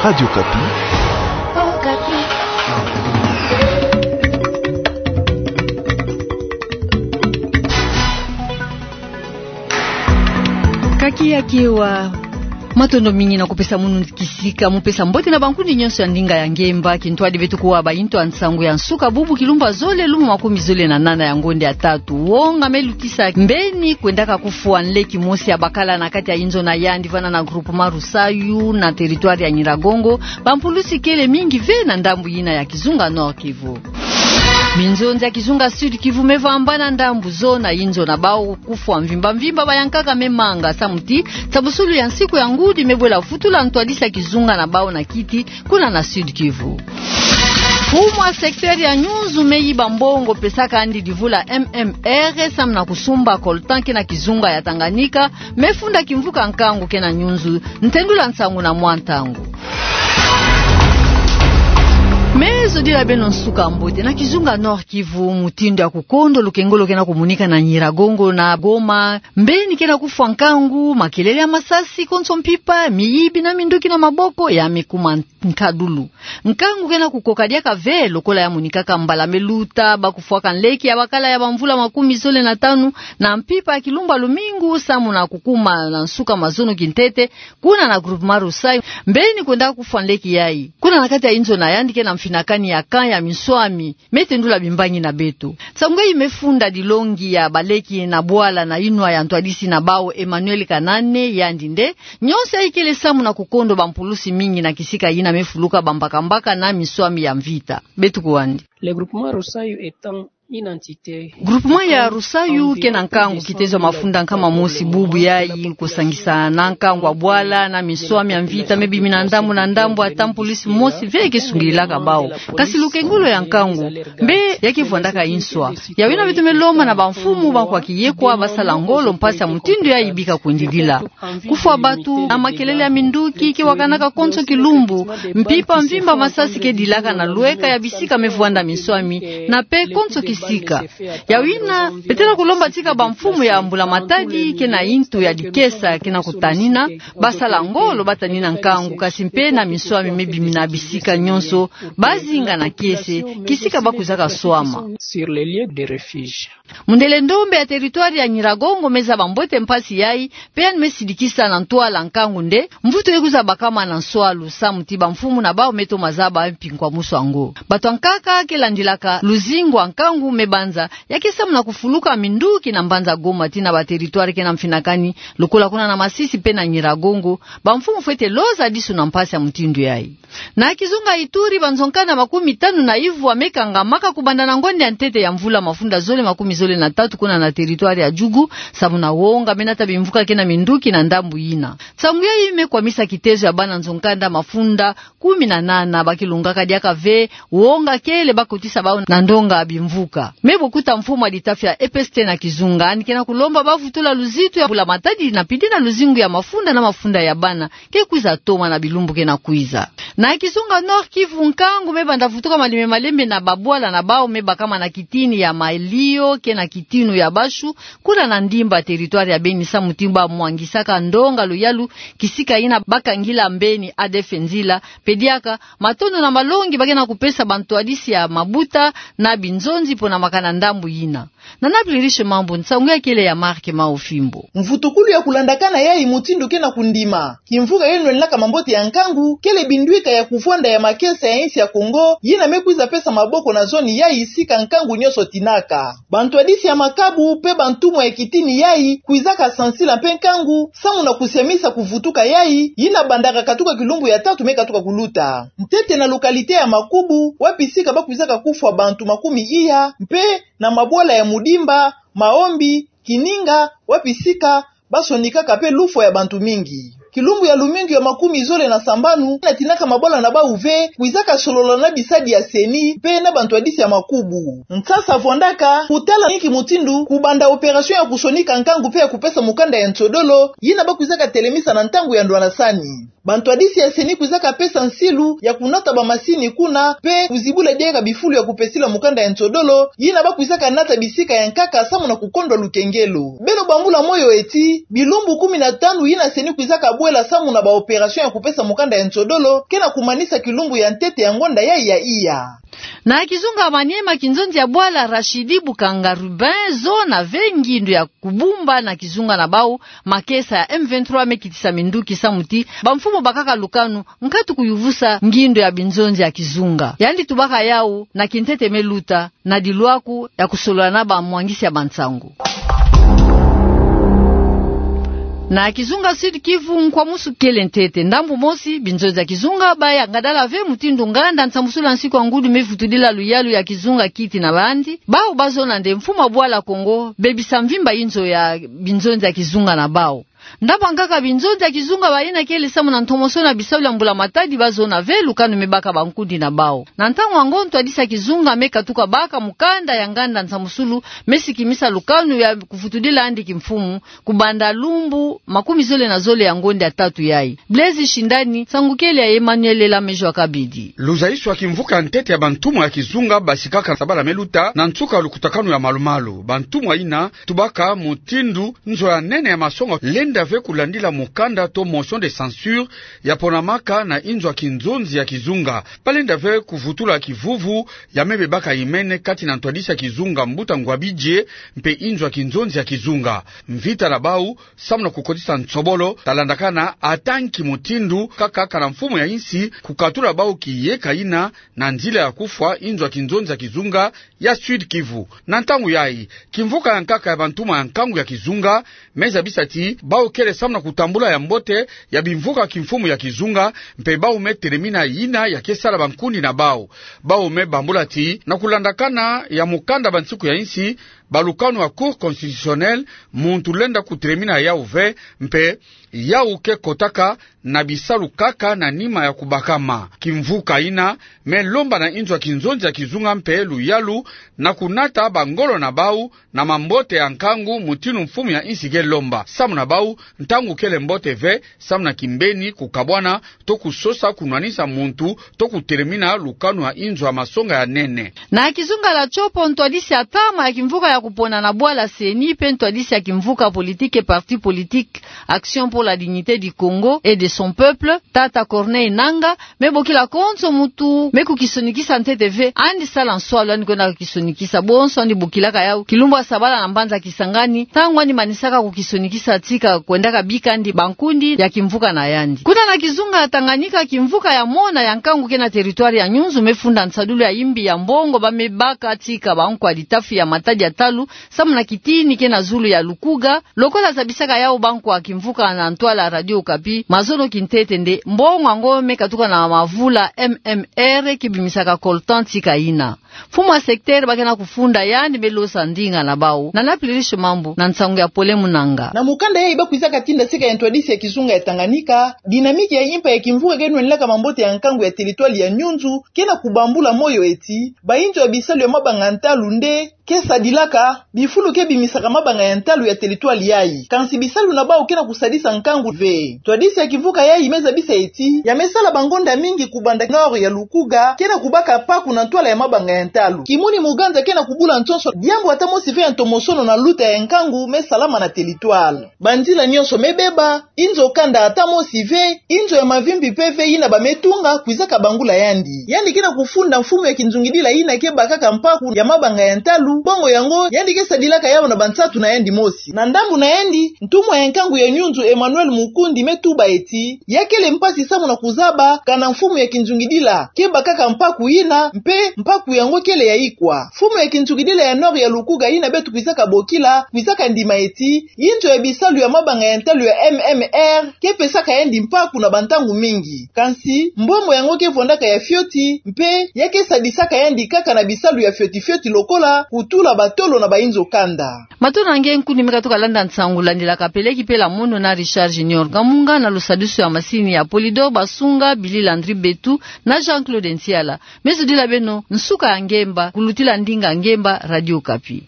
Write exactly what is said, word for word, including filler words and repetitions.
Radio Okapi. Kaki ya kiwa, matondo mingi na kupesa munu kisika mu pesa mbote na bankundi nyonso ya ndinga ya ngemba. Kintwadi beto kuwa ba intu ya nsangu ya nsuka bubu kilumbu ya zole, lumbu makumi zole na nana ya ngonde ya tatu. Wonga me lutisa mbeni kwendaka kufwa nleki mosi ya bakala na kati ya inzo na yandi vana na groupement Rusayu na territoire ya Nyiragongo, bampulusi kele mingi ve na ndambu yina ya kizunga Nord-Kivu. Minzonzi ya kizunga Sud-Kivu me vambana ndambu zona, inzo na bau kufwa mvimba mvimba, bayankaka me manga samu ti tabusulu ya nsiku ya ngudi me bwela vutula ntwadisi ya kizunga na bau na kiti kuna na Sud-Kivu. Mfumu ya secteur ya Nyunzu me yiba mbongo pesaka yandi divula M M R samu na kusumba coltan ke na kizunga ya Tanganyika, me funda kimvuka nkangu ke na Nyunzu. Ntendula nsangu na mwa ntangu. Me zodila beno nsuka mbote. Na kizunga Nord-Kivu, mutindu ya kukondo lukengolo ke na kumunika na Nyiragongo na Goma, mbeni ke na kufwa nkangu, makelele ya masasi, konso mpimpa, miyibi na minduki na maboko ya me kuma nkadulu. Nkangu ke na kukoka diaka ve, lokola ya monikaka mbala me luta ba kufwaka nleki ya bakala ya bamvula makumi zole na tanu na mpimpa ya kilumbu ya lumingu samu na kukuma na nsuka mazono kintete, kuna na groupement Rusayu, mbeni kwenda kufwa nleki yayi kuna na kati ya inzo na yandi ke na mfinakani ya camp ya minswami. Me tendula bimbangi na beto. Nsangu yayi me funda dilongi ya baleki na bwala na inwa ya ntwadisi na bau Emmanuel Kanane, yandi nde: nyonso yayi kele samu na kukondo bampulusi mingi na kisika yina me fuluka bambakambaka na minswami ya mvita. Beto kuwa yandi. Le groupement Rusayu étant une entité. Groupement ya Rusayu ke na nkangu kitezo ya mafunda nkama mosi bubu yayi, kusangisa na nkangu ya bwala na minswami ya mvita me bimina ndambu na ndambu, ata mpulusi mosi ve ke sungililaka bau. Kasi lukengolo ya nkangu mbe ya ke vwandaka inswa. Yayi yina beto me lomba na bamfumu ba kwa kiyekwa ba sala ngolo mpasi ya mutindu yayi bika kwendilila. Kufwa bantu na makelele ya minduki ke wakanaka konso kilumbu, mpimpa mvimba, masasi ke dilaka na lweka ya bisika me vwanda minswami, na pe konso kisika. Yayi yina beto na kulomba tika bamfumu ya mbula matadi ke na intu ya dikesa ke na kutanina, ba sala ngolo ba tanina nkangu, kasi mpe na minswami me bimina bisika nyonso, ba zinga na kiese kisika ba kwizaka swama. Sur les lieux de refuge. Mundele ndombe ya territoire ya Nyiragongo me zaba mbote mpasi yayi, pe yandi me sidikisa na ntwala nkangu nde: mvutu ye kwiza bakama na nswalu, samu ti bamfumu na bau me toma zaba mpinkwamusu yango. Bato ya nkaka ke landilaka luzingu ya nkangu me banza, ya ke samu na kufuluka minduki na mbanza Goma tii na ba territoire ke na mfinakani, lokola kuna na Masisi pe na Nyiragongo. Bamfumu fwete loza disu na mpasi ya mutindu yayi. Na kizunga Ituri, banzo-nkanda makumi tanu na ivwa me kangamaka kubanda na ngonde ya ntete ya mvula mafunda zole makumi zole na tatu kuna na territoire ya Djugu, samu na wonga me nata bimvuka ke na minduki na ndambu yina. Nsangu yayi me kwamisa kitezo ya bana nzo-nkanda mafunda kumi na nana ba ke lungaka diaka ve, wonga kele ba kotisa bau na ndonga bimvuka. Me bokuta mfumu ya litafi ya E P S T na kizunga, yandi ke na kulomba ba vutula luzitu ya mbula matadi na pidi na luzingu ya mafunda na mafunda ya bana ke kwiza toma na bilumbu ke na kwiza. Na kizunga Nord-Kivu, nkangu me banda vutuka malembe malembe na babwala na bau me bakama na kitini ya Malio ke na kitinu ya Bashu, kuna na ndimba territoire ya Beni, samu ti ba mwangisaka ndonga luyalu kisika yina ba kangila mbeni A D F nzila. Pe diaka matondo na malongi ba ke na kupesa bantwadisi ya mabuta na binzonzi pona makana ndambu yina. Nana Pliriche Mambu, nsangu yayi kele ya Marc Maofimbo. Mvutukulu ya kulandakana yayi mutindu ke na kundima kimvuka yeno lendaka mambote ya nkangu, kele bindwika ya kuvwanda ya makesa ya insi ya Kongo, yina me kwiza pesa maboko na zone yayi sika nkangu nyonso tinaka. Bantwadisi ya makabu pe bantumwa ya kitini yayi kwizaka sansila pe nkangu, samu na kusiamisa kuvutuka yayi, yina bandaka katuka kilumbu ya tatu me katuka kuluta. Ntete na localité ya Makubu, wapi sika ba kwizaka kufwa bantu makumi iya, mpe na mabwala ya Mudimba, Maombi, Kininga, wapi sika ba sonikaka pe lufwa ya bantu mingi. Kilumbu ya lumingu ya makumi zole na sambanu, na tinaka mabwala na bau ve, kwizaka solola na bisadi ya CENI, mpe na bantwadisi ya Makubu. Nsasa vwandaka kutala inki mutindu kubanda opération ya kusonika nkangu mpe ya kupesa mukanda ya nsodolo, yina ba kwizaka telemisa na ntangu ya ndwanasani. Bantwadisi ya CENI kwizaka pesa nsilu ya kunata bamasini kuna, mpe kuzibula diaka bifulu ya kupesila mukanda ya nsodolo, yina ba kwizaka nata bisika ya nkaka samu na kukondwa lukengelo. Beno bambula moyo eti, bilumbu kumi na tanu yina CENI kwizaka bwela samu na ba opération ya kupesa mukanda ya nsodolo, ke na kumanisa kilumbu ya ntete ya ngonda yayi ya iya. Na kizunga Maniema, kinzonzi ya bwala Rachidi Bukanga Rubin, zona ve ngindu ya kubumba na kizunga na bau makesa ya M vingt-trois me kitisa minduki samu ti bamfumu bakaka lukanu nkatu kuyuvusa ngindu ya binzonzi ya kizunga. Yandi tubaka yau na kintete me luta na dilwaku ya kusolola na bamwangisi ya bansangu. Na kizunga Sud-Kivu, nkwamusu kele ntete. Ndambu mosi, binzonzi ya kizunga baya ngadala ve mutindu nganda nsambusulu ya nsiku ya ngudi me vutudila luyalu ya kizunga kiti na bandi. Bau bazona nde mfumu wa bwala Kongo bebisa mvimba inzo ya binzonzi ya kizunga na bau. Ndambu ya nkaka, binzonzi ya kizunga bayina kele samu na ntomosono ya bisalu ya mbula matadi, bazona ve lukanu me baka bankundi na bau. Na ntangu yango, ntwadisi ya kizunga me katuka baka mukanda ya nganda nsambusulu me sikimisa lukanu ya kuvutudila yandi kimfumu kubanda lumbu makumi zole na zole ya ngonda ya tatu yayi. Blaise Shindani, nsangu kele ya Emmanuel Elamejo Akabidi. Luzayiswa kimvuka ya ntete ya bantumwa ya kizunga basikaka sabala me luta na nsuka lukutakanu ya malumalu. Bantumwa yina tubaka mutindu nzo ya nene ya masonga lenda ve kulandila mukanda to motion de censure ya ponamaka na inzo ya kinzonzi ya kizunga. Balenda ve kuvutula kivuvu ya me bebaka imene kati na ntwadisi ya kizunga Mbuta Ngouabidje mpe inzo ya kinzonzi ya kizunga. Mvita na bau samu na kukotisa nsobolo talandakana ata nki mutindu kaka kana mfumu ya insi kukatula bau kiyeka yina na nzila ya kufwa inzo ya kinzonzi ya kizunga ya Sud-Kivu. Na ntangu yayi, kimvuka ya nkaka ya bantumwa ya nkangu ya kizunga me zabisa ti bau kele samu na kutambula ya mbote ya bimvuka kimfumu ya kizunga, mpe bau me telemina yina ya ke sala bankundi na bau. Bau me bambula ti na kulandakana ya mukanda bansiku ya insi, balukanu ya Cour constitutionnelle, muntu lenda kutelemina yau ve, mpe yau ke kotaka na bisalu kaka na nima ya kubakama. Kimvuka yina me lomba na inzo ya kinzonzi ya kizunga mpe luyalu na kunata bangolo na bau na mambote ya nkangu mutindu mfumu ya insi ke lomba. Samu na bau, ntangu kele mbote ve samu na kimbeni kukabwana to kusosa kunwanisa muntu to kutelemina lukanu ya inzo ya masonga ya nene. Na kizunga la Tshopo, ntwadisi ya tama ya kimvuka ya kupona na bwala CENI mpe ntwadisi ya kimvuka politique et parti politique Action pour la dignité du Congo et de son peuple, tata Corneille Nangaa, me bokila konso muntu me kukisonikisa ntete ve yandi sala nswalu yandi kwenda kukisonikisa. Bonso yandi bokilaka yau kilumbu ya sabala na mbanza Kisangani, ntangu yandi manisaka kukisonikisa tika kwendaka bika yandi bankundi ya kimvuka na yandi. Kuna na kizunga ya Tanganyika, kimvuka ya mona ya nkangu ke na territoire ya Nyunzu me funda nsadulu ya imbi ya mbongo ba me baka tika bankwadi tafi ya Matadi ya talu, samu na kitini ke na zulu ya Lukuga, lokola zabisaka yau bankwa kimvuka na ntwala Radio Okapi. Mazono kintete nde mbongo yango me katuka na mavula M M R ke bimisaka coltan tika yina. Mfumu ya secteur ba ke na kufunda yandi me losa ndinga na bau. Nana Pluriche Mambu na nsangu ya Pole Munanga. Na mukanda yayi ba kwizaka tinda sika ya ntwadisi ya kizunga ya Tanganyika, dynamique ya impa ya kimvuka ke nwenilaka mambote ya nkangu ya territoire ya Nyunzu ke na kubambula moyo eti, bainzo ya bisalu ya mabanga ya ntalu nde ke sadilaka bifulu ke bimisaka mabanga ya ntalu ya territoire yayi. Kansi bisalu na bau ke na kusadisa nkangu ve. Ntwadisi ya kimvuka yayi me zabisa eti, ya me sala bangonda mingi kubanda nord ya Lukuga ke na kubaka mpaku na ntwala ya mabanga ya ntalu. Kimuni muganza ke na kubula nsonso diambu ata mosi ve ya ntomosono na luta ya nkangu me salama na territoire. Banzila nyonso me beba, inzo kanda ata mosi ve, inzo ya mavimpi mpe ve yina ba me tunga kwizaka bangula yandi. Yandi ke na kufunda mfumu ya kinzungidila yina ke bakaka mpaku ya mabanga ya ntalu, bongo yango yandi ke sadilaka yau na bansatu na yandi mosi. Na ndambu na yandi, ntumwa ya nkangu ya Nyunzu Emmanuel Mukundi me tuba eti, ya kele mpasi samu na kuzaba kana mfumu ya kinzungidila ke bakaka mpaku yina, mpe mpaku yango kele ya ikwa. Mfumu ya kinzungidila ya nord ya Lukuga yina beto kwizaka bokila, kwizaka ndima eti, inzo ya bisalu ya mabanga ya ntalu ya M M R ke pesaka yandi mpaku na bantangu mingi. Kansi, mbombo yango ke vondaka ya fioti, mpe ya ke sadisaka yandi kaka na bisalu ya fioti-fioti lokola kutula batolo na bainzo kanda. Matondo na nge nkundi me katuka landa nsangu, landilaka peleki pela mono na Richard Junior Kamunga, na lusadusu ya masini ya Polydor Basunga, Billy Landry Betu na Jean-Claude Nsiala. Me zodila beno nsuka ya ngemba, kulutila ndinga ngemba, Radio Okapi.